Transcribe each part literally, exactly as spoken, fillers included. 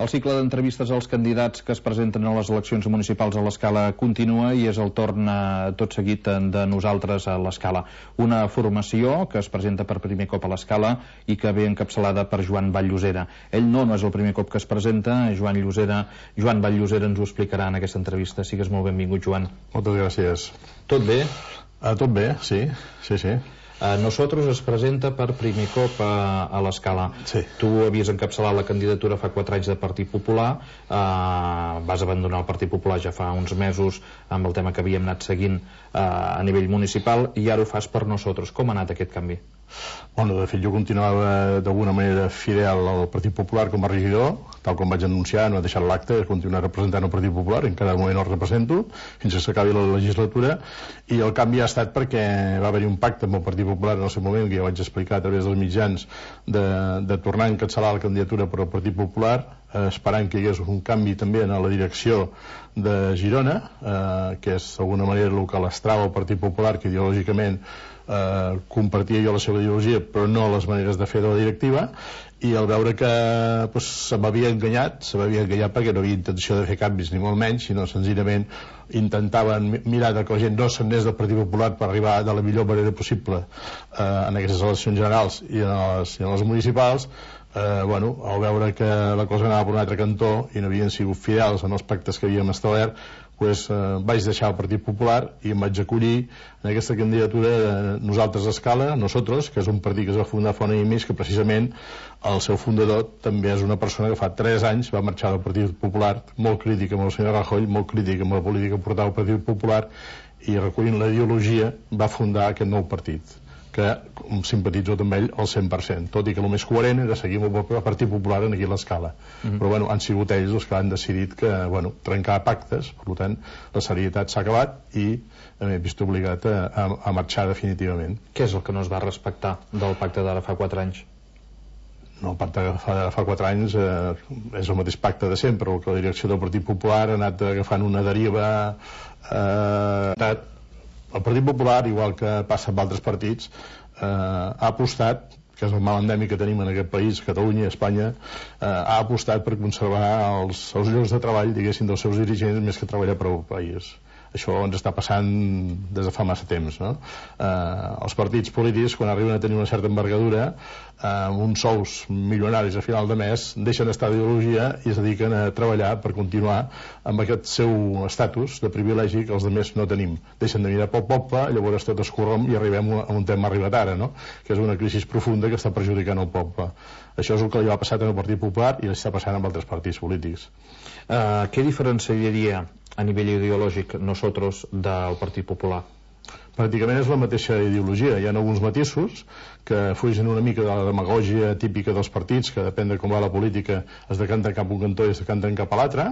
El cicle d'entrevistes als candidats que es presenten a les eleccions municipals a l'Escala continua i és el torn tot seguit de nosaltres a l'Escala. Una formació que es presenta per primer cop a l'Escala i que ve encapçalada per Joan Vall-Llosera. Ell no, no és el primer cop que es presenta, Joan Llosera, Joan Vall-Llosera ens ho explicarà en aquesta entrevista. Sigues molt benvingut, Joan. Moltes gràcies. Tot bé? Uh, tot bé, sí, sí, sí. Uh, Nosotros es presenta per primer cop a, a l'Escala. Sí. Tu havies encapçalat la candidatura fa quatre anys de Partit Popular, uh, vas abandonar el Partit Popular ja fa uns mesos amb el tema que havíem anat seguint uh, a nivell municipal i ara ho fas per Nosotros. Com ha anat aquest canvi? Bueno, de fet, jo continuava d'alguna manera fidel al Partit Popular com a regidor, tal com vaig anunciar, no he deixat l'acte, he continuat representant el Partit Popular, en cada moment el represento, fins que s'acabi la legislatura, i el canvi ha estat perquè va haver-hi un pacte amb el Partit Popular en el seu moment, que ja vaig explicar a través dels mitjans, de, de tornar a encapçalar la candidatura per al Partit Popular, eh, esperant que hi hagués un canvi també en la direcció de Girona, eh, que és d'alguna manera el que l'estrava el Partit Popular, que ideològicament eh, compartia jo la seva ideologia, però no les maneres de fer de la directiva, i al veure que pues, se m'havia enganyat, se m'havia enganyat perquè no havia intenció de fer canvis, ni molt menys, sinó senzillament intentaven mirar que la gent no s'anés del Partit Popular per arribar de la millor manera possible eh, en aquestes eleccions generals i en les, i en les municipals. Eh, bueno, al veure que la cosa anava per un altre cantó i no havien sigut fidels en els pactes que havíem establert, pues, eh, vaig deixar el Partit Popular i em vaig acollir en aquesta candidatura de Nosaltres a Escala, Nosotros, que és un partit que es va fundar fa un any i mig, que precisament el seu fundador també és una persona que fa tres anys va marxar del Partit Popular, molt crític amb el senyor Rajoy, molt crític amb la política que portava el Partit Popular, i recollint la ideologia va fundar aquest nou partit, que simpatitzo amb ell al cent per cent, tot i que el més coherent era seguir amb el Partit Popular aquí a l'Escala. Mm-hmm. Però bueno, han sigut ells els que han decidit que, bueno, trencar pactes, per tant la serietat s'ha acabat i m'he vist obligat a, a, a marxar definitivament. Què és el que no es va respectar del pacte d'ara fa quatre anys? No, el pacte de fa, fa quatre anys eh, és el mateix pacte de sempre, el que la direcció del Partit Popular ha anat agafant una deriva eh, el Partit Popular, igual que passa amb altres partits, eh, ha apostat, que és el mal endèmic que tenim en aquest país, Catalunya i Espanya, eh, ha apostat per conservar els, els llocs de treball, diguéssim, dels seus dirigents més que treballar per al país. Això ens està passant des de fa massa temps, no? Eh, els partits polítics, quan arriben a tenir una certa envergadura, eh, amb uns sous milionaris a final de mes, deixen d'estar d'ideologia i es dediquen a treballar per continuar amb aquest seu estatus de privilegi que els altres no tenim. Deixen de mirar pel poble, llavors tot es corromp i arribem a un tema arribat ara, no? Que és una crisi profunda que està perjudicant el poble. Això és el que li va passar al Partit Popular i li està passant amb altres partits polítics. Uh, què diferenciaria a nivell ideològic Nosotros del Partit Popular? Pràcticament és la mateixa ideologia. Hi ha alguns matisos que fugen una mica de la demagògia típica dels partits, que depèn de com va la política es decanten cap a un cantó i es decanten cap a l'altre.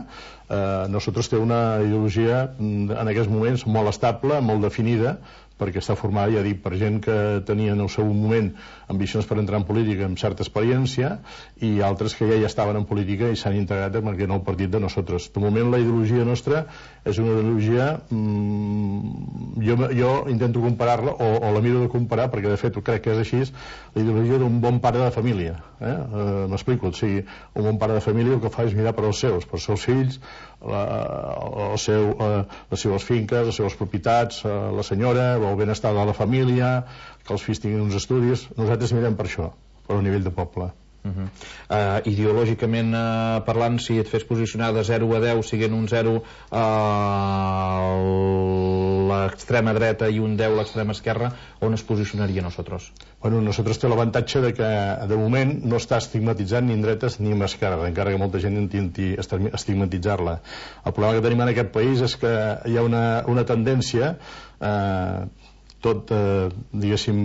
Eh, Nosotros té una ideologia en aquests moments molt estable, molt definida, perquè està formada, ja dic, per gent que tenia en el seu moment ambicions per entrar en política amb certa experiència i altres que ja hi estaven en política i s'han integrat en el nou partit de Nosotros. De moment la ideologia nostra és una ideologia mmm, jo, jo intento comparar-la o, o la miro de comparar perquè de fet ho crec que és així, la ideologia d'un bon pare de família, eh? eh, m'explico, o sigui, un bon pare de família el que fa és mirar per als seus, per als seus fills, la, el seu, eh, les seves finques, les seves propietats, eh, la senyora, el benestar de la família, que els fills tinguin uns estudis. Nosaltres mirem per això, per un nivell de poble. Uh-huh. uh, ideològicament uh, parlant, si et fes posicionar de zero a deu, siguent un zero a uh, l'extrema dreta i un deu a l'extrema esquerra, on es posicionaria Nosotros? Bueno, Nosotros té l'avantatge de que de moment no està estigmatitzant ni en dretes ni en esquerra, encara que molta gent intenti estigmatitzar-la. El problema que tenim en aquest país és que hi ha una, una tendència eh, tot, eh, diguéssim,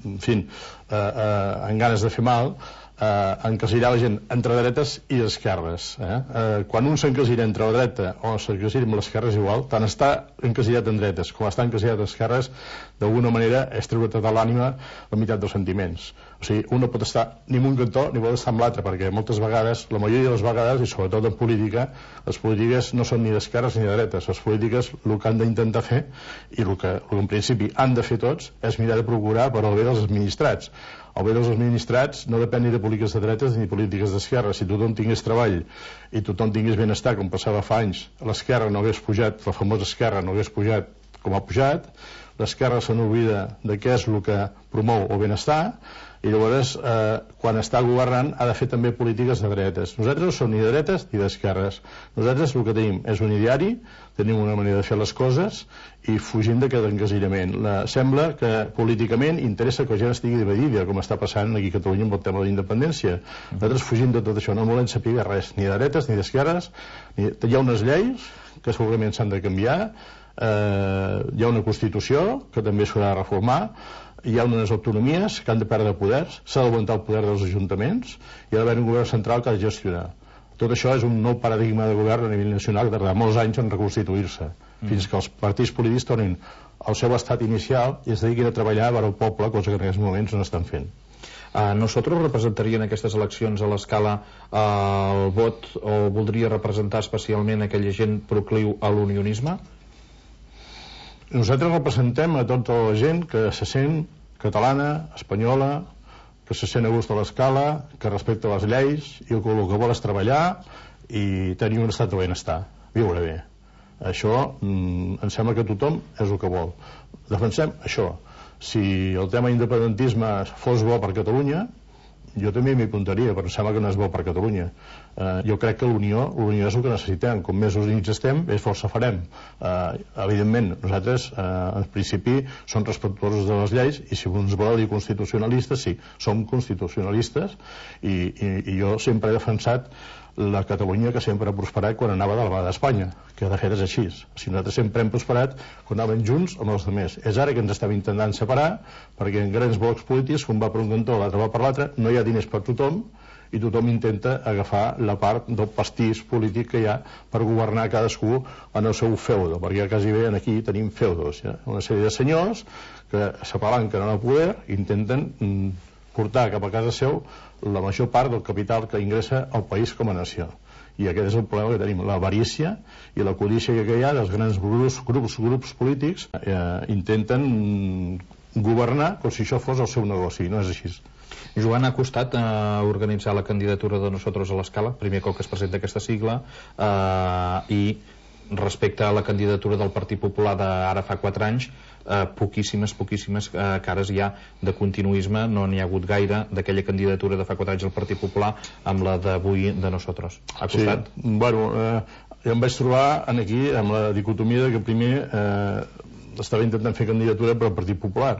en fi, eh, eh, en ganes de fer mal, eh, encasillar la gent entre dretes i esquerres. Eh? Eh, quan un s'encasilla entre la dreta o s'encasilla amb l'esquerra és igual, tant està encasillat en dretes com està encasillat en esquerres, d'alguna manera és treure tota l'ànima la meitat dels sentiments. O sigui, un no pot estar ni en un cantó ni pot estar en l'altre, perquè moltes vegades, la majoria de les vegades, i sobretot en política, les polítiques no són ni d'esquerres ni de dretes. Les polítiques el que han d'intentar fer, i el que, el que en principi han de fer tots, és mirar de procurar per al bé dels administrats. El bé dels administrats no depèn ni de polítiques de dretes ni de polítiques d'esquerra. Si tothom tingués treball i tothom tingués benestar, com passava fa anys, l'esquerra no hagués pujat, la famosa esquerra no hagués pujat com ha pujat, l'esquerra se n'oblida de què és el que promou el benestar, i llavors eh, quan està governant ha de fer també polítiques de dretes. Nosaltres no som ni de dretes ni d'esquerres. Nosaltres el que tenim és un ideari, tenim una manera de fer les coses i fugim d'aquest encasillament. La, sembla que políticament interessa que la gent estigui dividida, com està passant aquí a Catalunya amb el tema de la independència. Nosaltres fugim de tot això, no volem saber res, ni de dretes ni d'esquerres. Ni... Hi ha unes lleis que segurament s'han de canviar, eh, hi ha una Constitució que també s'haurà de reformar, hi ha unes autonomies que han de perdre poders, s'ha d'augmentar el poder dels ajuntaments i ha d'haver un govern central que ha de gestionar. Tot això és un nou paradigma de govern a nivell nacional que tardarà molts anys en reconstituir-se, mm. fins que els partits polítics tornin al seu estat inicial i es dediquin a treballar per al poble, cosa que en aquests moments no estan fent. Uh, nosaltres representaria en aquestes eleccions a l'escala uh, el vot o voldria representar especialment aquella gent procliu a l'unionisme? Nosaltres representem a tota la gent que se sent catalana, espanyola, que se sent a gust a l'escala, que respecta les lleis i el que, el que vol és treballar i tenir un estat de benestar, viure bé. Això mm, em sembla que tothom és el que vol. Defensem això. Si el tema independentisme fos bo per Catalunya, jo també m'hi apuntaria, però em sembla que no és bo per Catalunya. Eh, jo crec que l'unió, l'unió és el que necessitem. Com més units estem, més força farem. Eh, evidentment, nosaltres, eh, en principi, som respectuosos de les lleis i si ens vol dir constitucionalistes, sí, som constitucionalistes i, i, i jo sempre he defensat la Catalunya que sempre ha prosperat quan anava de la mà d'Espanya, que de fet és així. Si nosaltres sempre hem prosperat quan anàvem junts amb els altres. És ara que ens estem intentant separar perquè en grans blocs polítics, un va per un cantó, l'altre va per l'altre, no hi ha diners per tothom i tothom intenta agafar la part del pastís polític que hi ha per governar cadascú en el seu feudo, perquè quasi bé aquí tenim feudos, ja? Una sèrie de senyors que s'apalanquen en el poder i intenten mm, portar cap a casa seu la major part del capital que ingressa al país com a nació. I aquest és el problema que tenim, l'avarícia i la codícia que hi ha dels grans grups, grups, grups polítics eh, intenten governar com si això fos el seu negoci, no és així. Joan, ha costat eh, organitzar la candidatura de Nosotros a l'escala, primer cop que es presenta aquesta sigla, eh, i respecte a la candidatura del Partit Popular d'ara fa quatre anys, eh, poquíssimes, poquíssimes eh, cares hi ha de continuisme, no n'hi ha hagut gaire d'aquella candidatura de fa quatre anys al Partit Popular amb la d'avui de Nosotros. Ha costat? Sí, bueno, eh, jo em vaig trobar aquí amb la dicotomia que primer eh, estava intentant fer candidatura per al Partit Popular.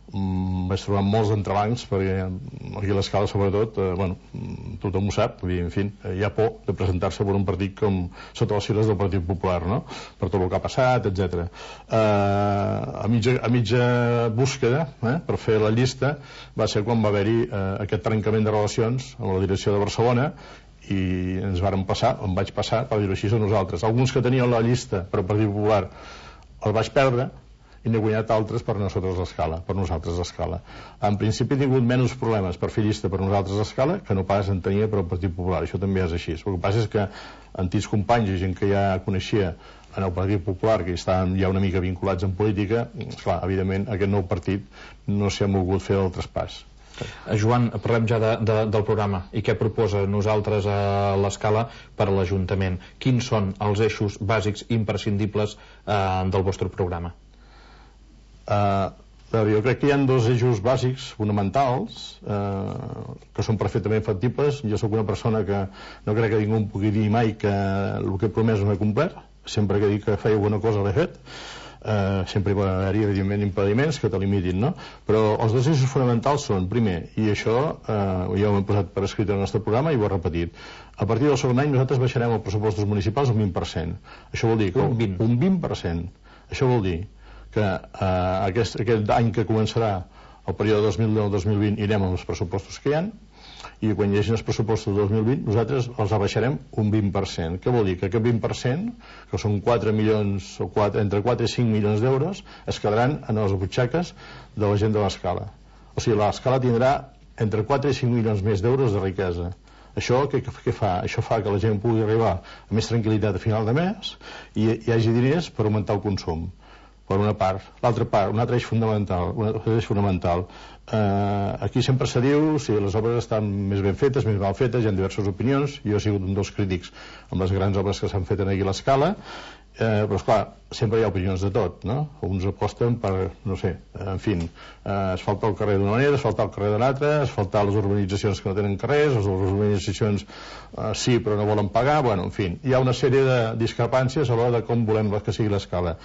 Mm, vaig trobar molts entrebancs perquè aquí a l'escala sobretot eh, bueno, tothom ho sap, vull dir, en fi, hi ha por de presentar-se per un partit com sota les sigles del Partit Popular, no? Per tot el que ha passat, etcètera. Eh, a, mitja, a mitja búsqueda eh, per fer la llista va ser quan va haver-hi eh, aquest trencament de relacions amb la direcció de Barcelona i ens varen passar, em vaig passar per dir-ho així a nosaltres. Alguns que tenien la llista per al Partit Popular el vaig perdre i n'he guanyat altres per nosaltres a l'escala, per nosaltres a l'escala. En principi he tingut menys problemes per fer llista per nosaltres a l'escala que no pas en tenia per al Partit Popular, això també és així. El que passa és que antics companys i gent que ja coneixia en el Partit Popular, que estaven ja una mica vinculats en política, clar, evidentment aquest nou partit no s'hi ha volgut fer el traspàs. Joan, parlem ja de, de, del programa i què proposa nosaltres a l'escala per a l'Ajuntament. Quins són els eixos bàsics imprescindibles eh, del vostre programa? Uh, jo crec que hi ha dos eixos bàsics fonamentals uh, que són perfectament factibles. Jo sóc una persona que no crec que ningú em pugui dir mai que el que he promès no he complert. Sempre que dic que feia alguna cosa l'he fet. Uh, sempre hi pot haver-hi evidentment impediments que te limitin, no? Però els dos eixos fonamentals són, primer, i això uh, ja ho hem posat per escrit en el nostre programa i ho he repetit, a partir del segon any nosaltres baixarem els pressupostos municipals un vint per cent. Això vol dir que un vint un vint per cent. Això vol dir que eh, aquest, aquest any que començarà el període dos mil deu dos mil vint irem amb els pressupostos que hi ha i quan hi hagi els pressupostos del dos mil vint nosaltres els abaixarem un vint per cent. Què vol dir? Que aquest vint per cent, que són quatre milions o quatre, entre quatre i cinc milions d'euros, es quedaran en les butxaques de la gent de l'escala. O sigui, l'escala tindrà entre quatre i cinc milions més d'euros de riquesa. Això què, què fa? Això fa que la gent pugui arribar a més tranquil·litat a final de mes i hi hagi diners per augmentar el consum. per una part. L'altra part, un altre eix fonamental, un altre eix fonamental. Eh, aquí sempre se diu si les obres estan més ben fetes, més mal fetes, hi ha diverses opinions. Jo he sigut un dels crítics amb les grans obres que s'han fet aquí a l'Escala, eh, però esclar, sempre hi ha opinions de tot, no? Uns aposten per, no sé, en fi, eh, asfaltar el carrer d'una manera, asfaltar el carrer de l'altra, asfaltar les urbanitzacions que no tenen carrers, les urbanitzacions eh, sí però no volen pagar, bueno, en fi, hi ha una sèrie de discrepàncies a l'hora de com volem que sigui l'Escala.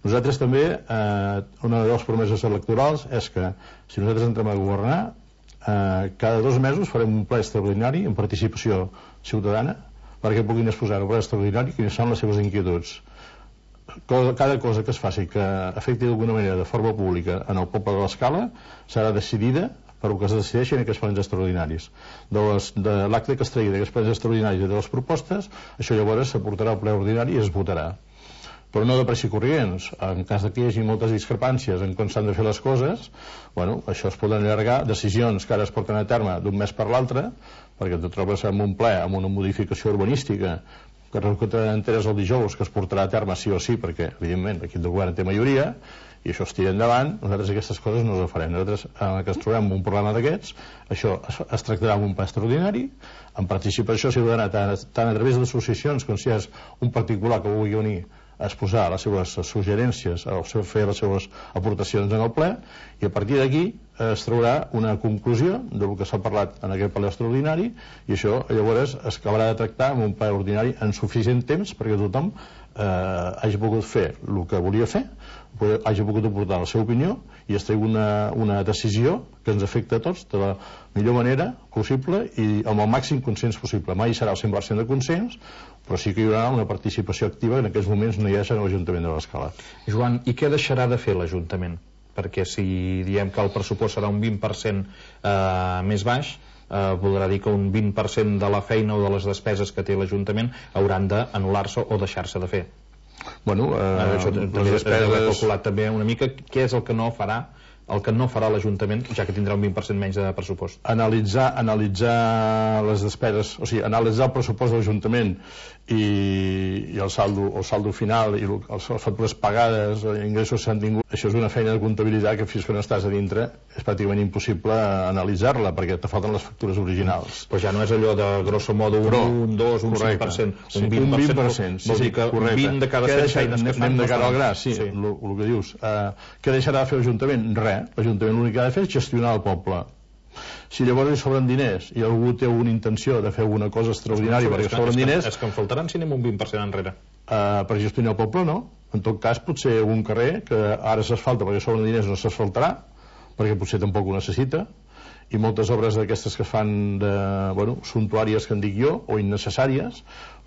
Nosaltres també, eh, una de les promeses electorals és que si nosaltres entrem a governar, eh, cada dos mesos farem un ple extraordinari en participació ciutadana perquè puguin exposar en un ple extraordinari quines són les seves inquietuds. Cada cosa que es faci que afecti d'alguna manera de forma pública en el poble de l'Escala serà decidida per el que es decideixi en aquests plens extraordinaris. De, de l'acte que es tregui d'aquests plens extraordinaris i de les propostes, això llavors s'aportarà al ple ordinari i es votarà. Però no de pressa i corrients. En cas que hi hagi moltes discrepàncies en com s'han de fer les coses, bueno, això es poden allargar, decisions que ara es porten a terme d'un mes per l'altre, perquè te trobes amb un ple, amb una modificació urbanística que resulta enteres el dijous, que es portarà a terme sí o sí, perquè evidentment l'equip del govern té majoria, i això es tira endavant. Nosaltres aquestes coses no les farem. Nosaltres, en què ens trobem un problema d'aquests, això es, es tractarà en un ple extraordinari, en participació ciutadana, tant, tant a través d'associacions com si és un particular que vulgui venir a exposar les seves suggerències o fer les seves aportacions en el ple, i a partir d'aquí es traurà una conclusió del que s'ha parlat en aquest ple extraordinari, i això llavors es acabarà de tractar en un ple ordinari en suficient temps perquè tothom eh, hagi pogut fer el que volia fer, hagi pogut aportar la seva opinió i es tregui una, una decisió que ens afecta a tots de la millor manera possible i amb el màxim consens possible. Mai serà el cent per cent de consens, però sí que hi haurà una participació activa que en aquests moments no hi és en l'Ajuntament de l'Escala. Joan, i què deixarà de fer l'Ajuntament? Perquè si diem que el pressupost serà un vint per cent eh, més baix, eh, voldrà dir que un vint per cent de la feina o de les despeses que té l'Ajuntament hauran d'anul·lar-se o deixar-se de fer. Bueno, eh, això també les despeses... he calculat també una mica què és el que no farà el que no farà l'Ajuntament, ja que tindrà un vint per cent menys de pressupost. Analitzar, analitzar les despeses, o sigui, analitzar el pressupost de l'Ajuntament i, i el saldo, el saldo final i les factures pagades, els ingressos que s'han tingut, això és una feina de comptabilitat que fins que no estàs a dintre és pràcticament impossible analitzar-la perquè te falten les factures originals. Però ja no és allò de grosso modo un, un dos, un cinc per cent, un vint per cent, vol dir que un vint de cada cent feines que fan. Anem de cara al gra, sí, el que dius. Què deixarà de fer l'Ajuntament? Res. L'Ajuntament l'únic que ha de fer és gestionar el poble. Si llavors hi sobren diners i algú té una intenció de fer alguna cosa extraordinària perquè sobren diners... És que en faltaran si anem un vint per cent enrere. Uh, per gestionar el poble, no. En tot cas, potser un carrer que ara s'asfalta perquè sobren diners no s'asfaltarà, perquè potser tampoc ho necessita, i moltes obres d'aquestes que fan de, bueno, suntuàries que en dic jo, o innecessàries,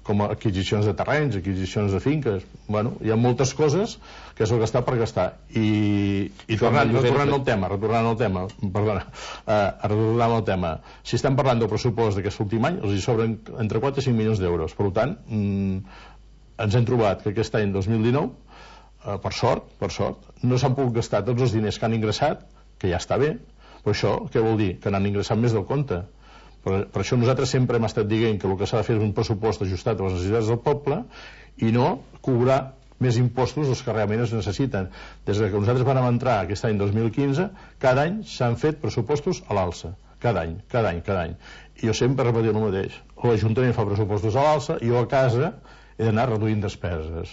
com adquisicions de terrenys, adquisicions de finques, bueno, hi ha moltes coses que és el que està per gastar. I, i tornant, retornant al tema, retornant al tema, perdona, eh, retornant al tema, si estem parlant del pressupost d'aquest últim any, els hi sobren entre quatre i cinc milions d'euros. Per tant, mm, ens hem trobat que aquest any dos mil dinou, eh, per sort, per sort, no s'han pogut gastar tots els diners que han ingressat, que ja està bé, però això què vol dir? Que n'han ingressat més del compte. Per, per això nosaltres sempre hem estat dient que el que s'ha de fer és un pressupost ajustat a les necessitats del poble i no cobrar més impostos dels que realment es necessiten. Des que nosaltres vam entrar aquest any dos mil quinze, cada any s'han fet pressupostos a l'alça. Cada any, cada any, cada any. I jo sempre repetia el mateix. L'Ajuntament fa pressupostos a l'alça i jo a casa he d'anar reduint despeses.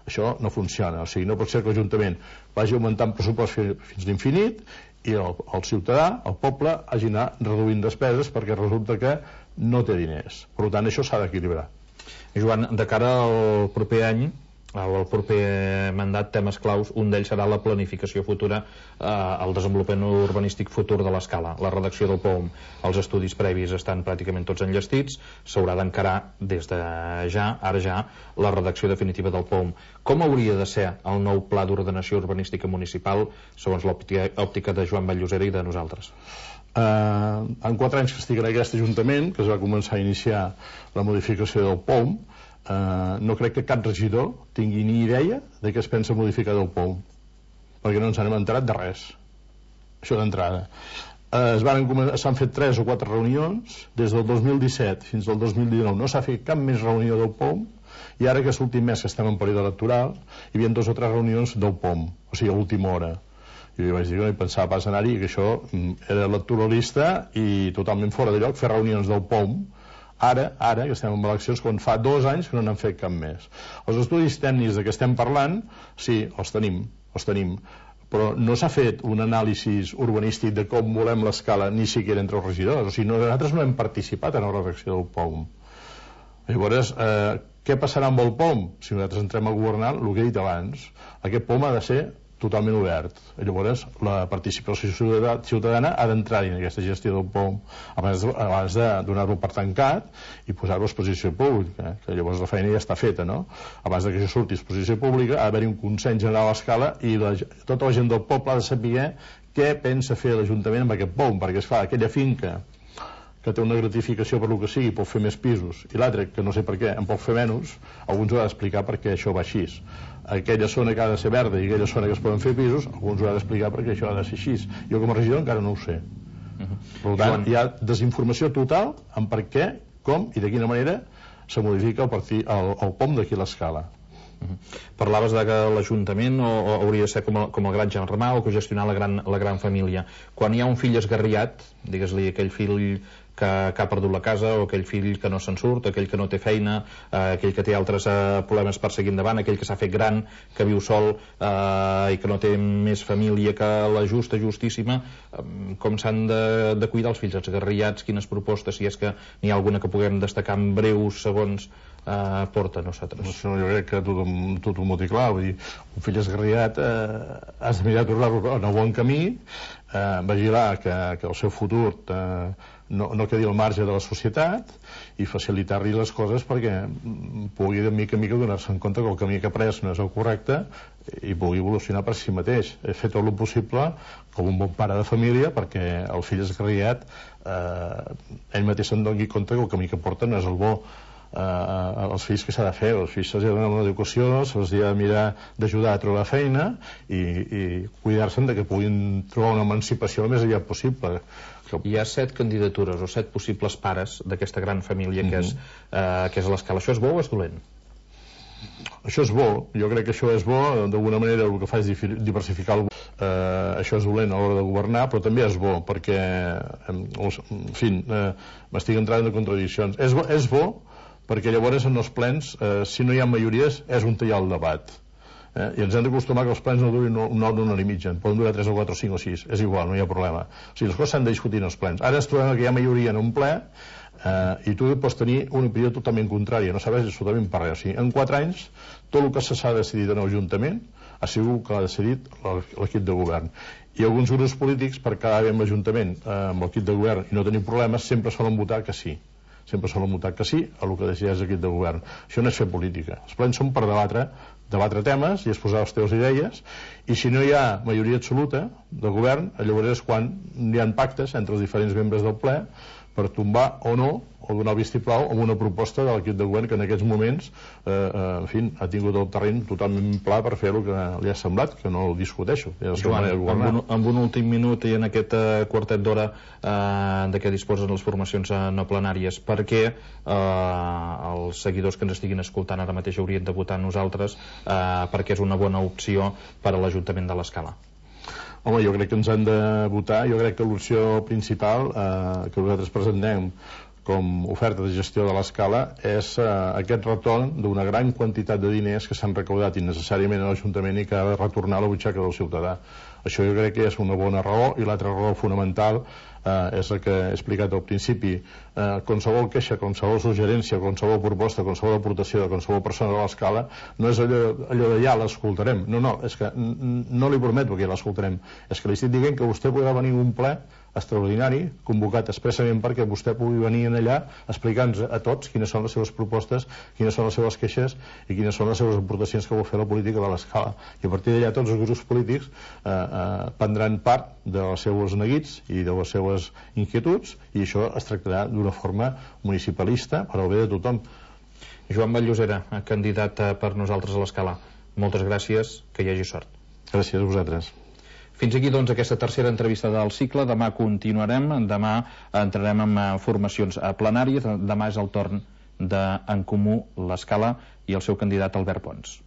Això no funciona. O sigui, no pot ser que l'Ajuntament vagi augmentant pressupost fins l'infinit i el, el ciutadà, el poble, hagi d'anar reduint despeses perquè resulta que no té diners. Per tant, això s'ha d'equilibrar. Joan, de cara al proper any, al proper mandat, temes claus, un d'ells serà la planificació futura, eh, el desenvolupament urbanístic futur de l'Escala, la redacció del P O M. Els estudis previs estan pràcticament tots enllestits, s'haurà d'encarar des de ja, ara ja, la redacció definitiva del P O M. Com hauria de ser el nou pla d'ordenació urbanística municipal segons l'òptica de Joan Vall-llosera i de nosaltres? Uh, en quatre anys que estic en aquest Ajuntament, que es va començar a iniciar la modificació del P O M, Uh, no crec que cap regidor tingui ni idea de què es pensa modificar del P O M, perquè no ens hem enterat de res, això d'entrada. Uh, s'han fet tres o quatre reunions des del dos mil disset fins al dos mil dinou, no s'ha fet cap més reunió del P O M I ara, aquest últim mes que estem en període electoral, hi havia dues o tres reunions del P O M, o sigui, a última hora. I jo vaig dir que no hi pensava pas anar-hi, que això era electoralista i totalment fora de lloc fer reunions del P O M, ara, ara, que estem en eleccions, quan fa dos anys que no n'han fet cap més. Els estudis tècnics de què estem parlant, sí, els tenim, els tenim, però no s'ha fet un anàlisi urbanístic de com volem l'escala ni siquiera entre els regidors, o sigui, nosaltres no hem participat en la redacció del P O M. Llavors, eh, què passarà amb el P O M? Si nosaltres entrem a governar, el que he dit abans, aquest P O M ha de ser totalment obert. Llavors, la participació ciutadana ha d'entrar en aquesta gestió del P O M abans de, abans de donar-lo per tancat i posar-lo a exposició pública, que llavors la feina ja està feta, no? Abans que això surti a exposició pública ha d'haver-hi un consens general a l'escala i la, tota la gent del poble ha de saber què pensa fer l'Ajuntament amb aquest P O M, perquè es fa aquella finca que té una gratificació per lo que sigui, pot fer més pisos, i l'altre, que no sé per què, en pot fer menys, alguns ho ha d'explicar perquè això va així. Aquella zona que ha de ser verda i aquella zona que es poden fer pisos, alguns ho ha d'explicar perquè això ha de ser així. Jo com a regidor encara no ho sé. Per tant, hi ha desinformació total en per què, com i de quina manera se modifica el, partit, el, el P O M d'aquí a l'escala. Uh-huh. Parlaves de que l'Ajuntament o, o hauria de ser com el, com el gran germà o que gestionar la gran, la gran família. Quan hi ha un fill esgarriat, digues-li aquell fill que, que ha perdut la casa o aquell fill que no se'n surt, aquell que no té feina, eh, aquell que té altres eh, problemes per seguir endavant, aquell que s'ha fet gran, que viu sol eh, i que no té més família que la justa, justíssima, eh, com s'han de, de cuidar els fills esgarriats, quines propostes, si és que n'hi ha alguna que puguem destacar en breus segons Uh, porta a nosaltres. No, jo crec que tothom, tothom ho té clar, vull dir, un fill esgarriat eh, has de mirar de tornar-lo en el bon camí, eh, vigilar que, que el seu futur eh, no, no quedi al marge de la societat i facilitar-li les coses perquè pugui de mica en mica donar-se en compte que el camí que ha pres no és el correcte i pugui evolucionar per si mateix. He fet tot el possible com un bon pare de família perquè el fill esgarriat eh, ell mateix se'n doni compte que el camí que porta no és el bo. Uh, els fills que s'ha de fer, els fills se'ls ha de donar una educació, se'ls ha de mirar d'ajudar a trobar feina i, i cuidar-se'n de que puguin trobar una emancipació el més aviat possible. Hi ha set candidatures o set possibles pares d'aquesta gran família que és, uh, que és a l'escala. Això és bo o és dolent? Això és bo, jo crec que això és bo, d'alguna manera el que fa és diversificar el bo. Uh, això és dolent a l'hora de governar, però també és bo perquè en, en fi, uh, m'estic entrant en contradiccions. És bo, és bo perquè llavors en els plens, eh, si no hi ha majories, és un tallar el debat. Eh? I ens hem d'acostumar que els plens no durin una hora, una hora i mitja, poden durar tres o quatre o cinc o sis, és igual, no hi ha problema. O sigui, les coses s'han de discutir en els plens. Ara ens trobem que hi ha majoria en un ple eh, i tu pots tenir una opinió totalment contrària, no sabes absolutament per res. O sigui, en quatre anys, tot el que s'ha decidit en l'Ajuntament ha sigut que l'ha decidit l'equip de govern. I alguns grups polítics, per quedar bé amb l'Ajuntament, eh, amb l'equip de govern i no tenir problemes, sempre solen votar que sí. Sempre solen votar que sí a el que decideix l'equip de govern. Això no és fer política. Els plens són per debatre, debatre temes i exposar les teves idees, i si no hi ha majoria absoluta del govern, llavors és quan hi ha pactes entre els diferents membres del ple per tombar o no, o donar el vistiplau amb una proposta de l'equip de govern que en aquests moments eh, eh, en fi, ha tingut el terreny totalment pla per fer el que li ha semblat, que no ho discuteixo. Joan, amb un, amb un últim minut i en aquest eh, quartet d'hora eh, de què disposen les formacions eh, no plenàries, per què eh, els seguidors que ens estiguin escoltant ara mateix haurien de votar nosaltres eh, perquè és una bona opció per a l'Ajuntament de l'Escala? Home, jo crec que ens han de votar. Jo crec que l'opció principal eh, que nosaltres presentem com oferta de gestió de l'escala és eh, aquest retorn d'una gran quantitat de diners que s'han recaudat innecessàriament a l'Ajuntament i que ha de retornar a la butxaca del ciutadà. Això jo crec que és una bona raó, i l'altra raó fonamental eh, és el que he explicat al principi. Eh, qualsevol queixa, qualsevol suggerència, qualsevol proposta, qualsevol aportació de qualsevol persona de l'escala no és allò, allò de ja l'escoltarem. No, no, és que no li prometo que ja l'escoltarem. És que li estic dient que vostè podrà venir a un ple extraordinari, convocat expressament perquè vostè pugui venir en allà explicant-nos a tots quines són les seves propostes, quines són les seves queixes i quines són les seves aportacions que vol fer la política de l'escala. I a partir d'allà tots els grups polítics eh, eh, prendran part dels seus neguits i de les seves inquietuds, i això es tractarà d'una forma municipalista per al bé de tothom. Joan Vall-Llosera, candidat per nosaltres a l'Escala, moltes gràcies, que hi hagi sort. Gràcies a vosaltres. Fins aquí, doncs, aquesta tercera entrevista del cicle. Demà continuarem, demà entrarem en formacions plenàries, demà és el torn d'En Comú l'Escala i el seu candidat Albert Pons.